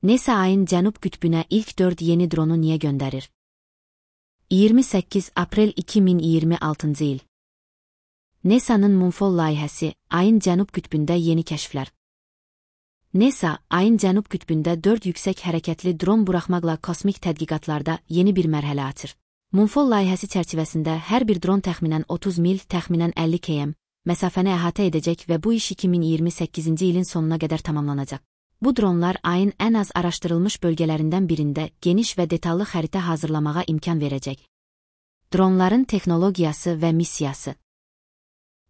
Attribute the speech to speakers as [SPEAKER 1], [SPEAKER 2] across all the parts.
[SPEAKER 1] NASA ayın cənub qütbünə ilk 4 yeni dronu niyə göndərir? 28 aprel 2026 il. NASA'nın Moonfall layihəsi, ayın cənub qütbündə yeni kəşflər. NASA, ayın cənub qütbündə 4 yüksək hərəkətli dron buraxmaqla kosmik tədqiqatlarda yeni bir mərhələ açır. Moonfall layihəsi çərçivəsində hər bir dron təxminən 30 mil, təxminən 50 km məsafəni əhatə edəcək və bu iş 2028-ci ilin sonuna qədər tamamlanacaq. Bu dronlar ayın ən az araşdırılmış bölgələrindən birində geniş və detallı xəritə hazırlamağa imkan verəcək. Dronların texnologiyası və missiyası.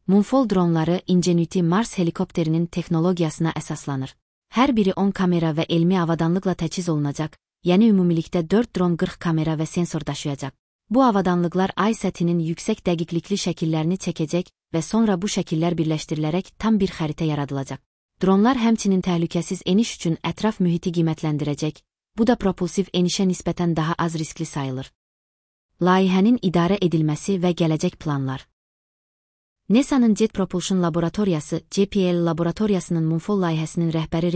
[SPEAKER 1] Moonfall dronları Ingenuity Mars helikopterinin texnologiyasına əsaslanır. Hər biri 10 kamera və elmi avadanlıqla təchiz olunacaq, yəni ümumilikdə 4 dron 40 kamera və sensor daşıyacaq. Bu avadanlıqlar ay səthinin yüksək dəqiqlikli şəkillərini çəkəcək və sonra bu şəkillər birləşdirilərək tam bir xəritə yaradılacaq. Dronlar həmçinin təhlükəsiz eniş üçün ətraf mühiti qiymətləndirəcək, bu da propulsiv enişə nisbətən daha az riskli sayılır. Layihənin idarə edilməsi və gələcək planlar. NASA'nın Jet Propulsion Laboratoriyası, JPL laboratoriyasının Moonfall layihəsinin rəhbəri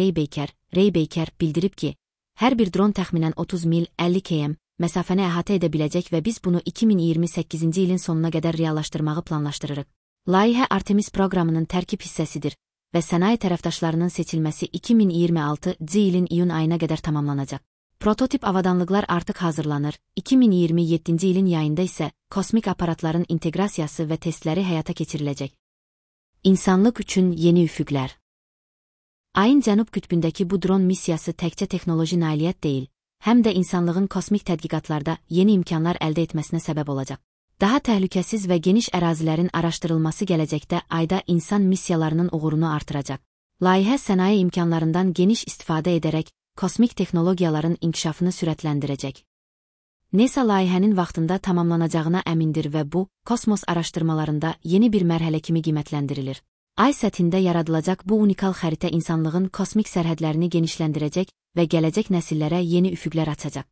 [SPEAKER 1] Ray Baker bildirib ki, hər bir dron təxminən 30 mil, 50 km məsafəni əhatə edə biləcək və biz bunu 2028-ci ilin sonuna qədər reallaşdırmağı planlaşdırırıq. Layihə Artemis proqramının tərkib hissəsidir və sənaye tərəfdaşlarının seçilməsi 2026-cı ilin iyun ayına qədər tamamlanacaq. Prototip avadanlıqlar artıq hazırlanır, 2027-ci ilin yayında isə kosmik aparatların inteqrasiyası və testləri həyata keçiriləcək. İnsanlıq üçün yeni üfüqlər. Ayın cənub qütbündəki bu dron missiyası təkcə texnoloji nailiyyət deyil, həm də insanlığın kosmik tədqiqatlarda yeni imkanlar əldə etməsinə səbəb olacaq. Daha təhlükəsiz və geniş ərazilərin araşdırılması gələcəkdə ayda insan missiyalarının uğurunu artıracaq. Layihə sənaye imkanlarından geniş istifadə edərək kosmik texnologiyaların inkişafını sürətləndirəcək. NASA layihənin vaxtında tamamlanacağına əmindir və bu, kosmos araşdırmalarında yeni bir mərhələ kimi qiymətləndirilir. Ay səthində yaradılacaq bu unikal xəritə insanlığın kosmik sərhədlərini genişləndirəcək və gələcək nəsillərə yeni üfüqlər açacaq.